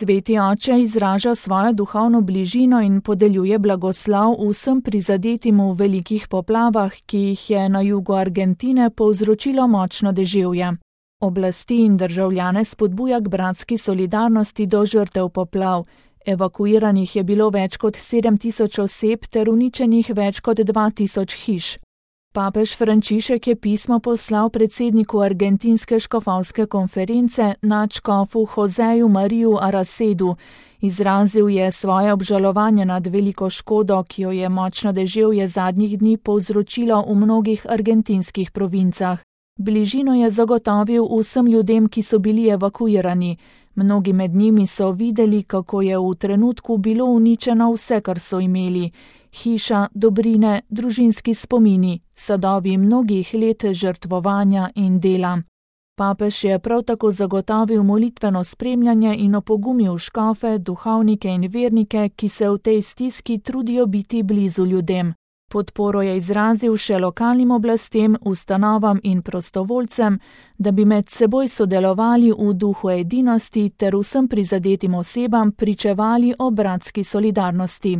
Sveti oče izraža svojo duhovno bližino in podeljuje blagoslov vsem prizadetim v velikih poplavah, ki jih je na jugu Argentine povzročilo močno deževje. Oblasti in državljane spodbuja k bratski solidarnosti do žrtev poplav. Evakuiranih je bilo več kot 7.000 oseb ter uničenih več kot 2.000 hiš. Papež Frančišek je pismo poslal predsedniku argentinske škofovske konference nadškofu Joseju Mariju Aracedu. Izrazil je svoje obžalovanje nad veliko škodo, ki jo je močno deževje zadnjih dni povzročilo v mnogih argentinskih provincah. Bližino je zagotovil vsem ljudem, ki so bili evakuirani. Mnogi med njimi so videli, kako je v trenutku bilo uničeno vse, kar so imeli. Hiša, dobrine, družinski spomini, sadovi mnogih let žrtvovanja in dela. Papež je prav tako zagotovil molitveno spremljanje in opogumil škofe, duhovnike in vernike, ki se v tej stiski trudijo biti blizu ljudem. Podporo je izrazil še lokalnim oblastem, ustanovam in prostovoljcem, da bi med seboj sodelovali v duhu edinosti ter vsem prizadetim osebam pričevali o bratski solidarnosti.